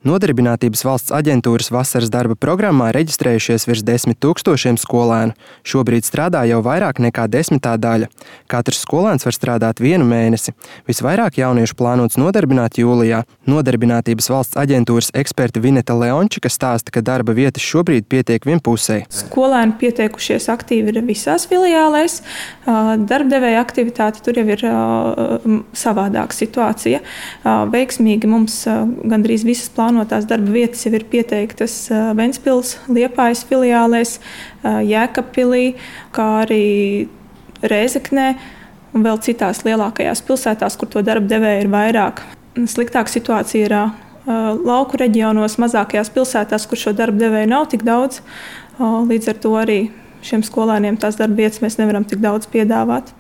Nodarbinātības valsts aģentūras vasaras darba programmā reģistrējušies virs 10 000 skolēnu. Šobrīd strādā jau vairāk nekā 10. daļa. Katrs skolēns var strādāt 1 mēnesi. Visvairāk jauniešu plānots nodarbināt jūlijā. Nodarbinātības valsts aģentūras eksperta Vineta Leončika stāsta, ka darba vietas šobrīd pietiek vienpusēji. Skolēni pieteikušies aktīvi ir visās filiālēs. Darbdevēja aktivitāte tur jau ir savādāka situācija. Veiksmīgi mums gandrīz visas plānotās darba vietas jau ir pieteiktas Ventspils, Liepājas filiālēs, Jēkabpilī, kā arī Rēzeknē un vēl citās lielākajās pilsētās, kur to darba devēja ir vairāk. Sliktāka situācija ir lauku reģionos, mazākajās pilsētās, kur šo darba devēju nav tik daudz. Līdz ar to arī šiem skolēniem tās darba vietas mēs nevaram tik daudz piedāvāt.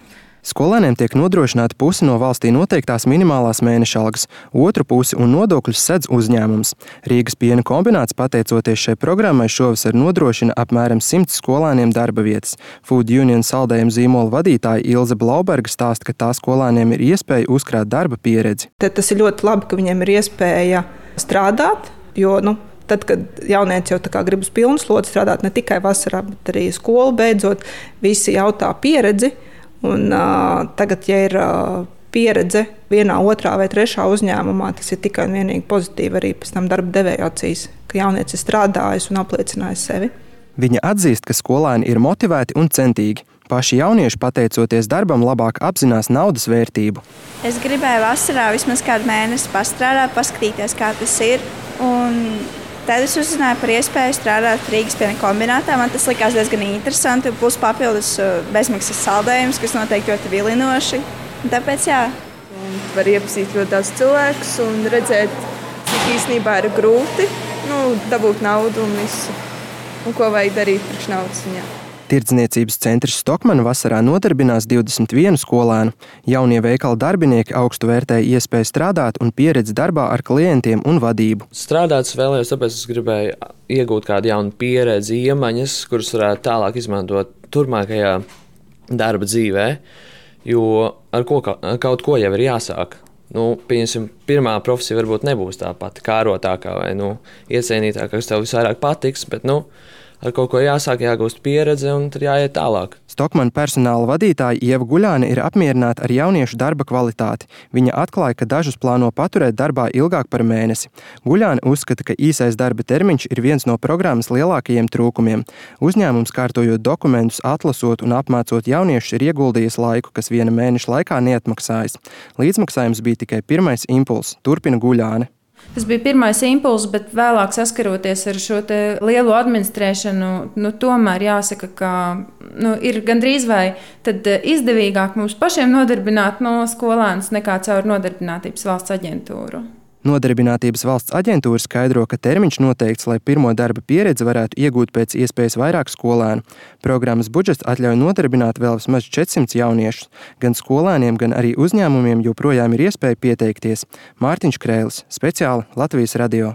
Skolēniem tiek nodrošināta pusi no valstī noteiktās minimālās mēneša algas, otru pusi un nodokļus sedz uzņēmums. Rīgas piena kombināts, pateicoties šai programmai, šovasar nodrošina apmēram 100 skolēniem darba vietas. Food Union saldējumu zīmola vadītāja Ilze Blauberga stāsta, ka tā skolēniem ir iespēja uzkrāt darba pieredzi. Tas ir ļoti labi, ka viņiem ir iespēja strādāt, jo tad, kad jaunieci jau grib uz pilnu slodzi strādāt ne tikai vasarā, bet arī skolu beidzot, visi jautā pieredzi. Un, tagad, ja ir pieredze vienā, otrā vai trešā uzņēmumā, tas ir tikai un vienīgi pozitīvi arī pēc tam darba devēja acīs, ka jaunietis ir strādājis un apliecinājis sevi. Viņa atzīst, ka skolēni ir motivēti un centīgi. Paši jaunieši, pateicoties darbam, labāk apzinās naudas vērtību. Es gribēju vasarā vismaz kādu mēnesi pastrādāt, paskatīties, kā tas ir. Tad es uzzināju par iespēju strādāt Rīgas piena kombinātā. Man tas likās diezgan interesanti, plus papildus bezmaksas saldējums, kas noteikti ļoti vilinoši. Tāpēc jā. Var iepazīt ļoti daudz cilvēkus un redzēt, cik īstenībā ir grūti dabūt naudu un visu. Un ko vajag darīt priekš naudas ziņā. Tirdzniecības centrs Stokman vasarā nodarbinās 21 skolēnu. Jaunie veikala darbinieki augstu vērtēja iespēju strādāt un pieredzi darbā ar klientiem un vadību. Strādāt vēlējos, tāpēc es gribēju iegūt kādu jaunu pieredzi, iemaņas, kuras varētu tālāk izmantot turpmākajā darba dzīvē, jo ar kaut ko jau ir jāsāk. Pieņemsim, pirmā profesija varbūt nebūs tā pati kārotākā vai iecienītākā, kas tev visvairāk patiks, bet ar kaut ko jāsāk, jāgūst pieredze un tad jāiet tālāk. Stokmana personāla vadītāja Ieva Guļāne ir apmierināta ar jauniešu darba kvalitāti. Viņa atklāja, ka dažus plāno paturēt darbā ilgāk par mēnesi. Guļāne uzskata, ka īsais darba termiņš ir viens no programmas lielākajiem trūkumiem. Uzņēmums, kārtojot dokumentus, atlasot un apmācot jauniešus, ir ieguldījis laiku, kas 1 mēneša laikā neatmaksājas. Līdzmaksājums bija tikai pirmais impulss, turpina Guļāne. Tas bija pirmais impulss, bet vēlāk saskaroties ar šo lielo administrēšanu, tomēr jāsaka, ka ir gandrīz vai tad izdevīgāk mums pašiem nodarbināt skolēnus nekā caur Nodarbinātības valsts aģentūru. Nodarbinātības valsts aģentūra skaidro, ka termiņš noteikts, lai pirmo darba pieredzi varētu iegūt pēc iespējas vairāk skolēnu. Programmas budžets atļauj nodarbināt vēl vismaz 400 jauniešus. Gan skolēniem, gan arī uzņēmumiem joprojām ir iespēja pieteikties. Mārtiņš Krēlis, speciāli Latvijas radio.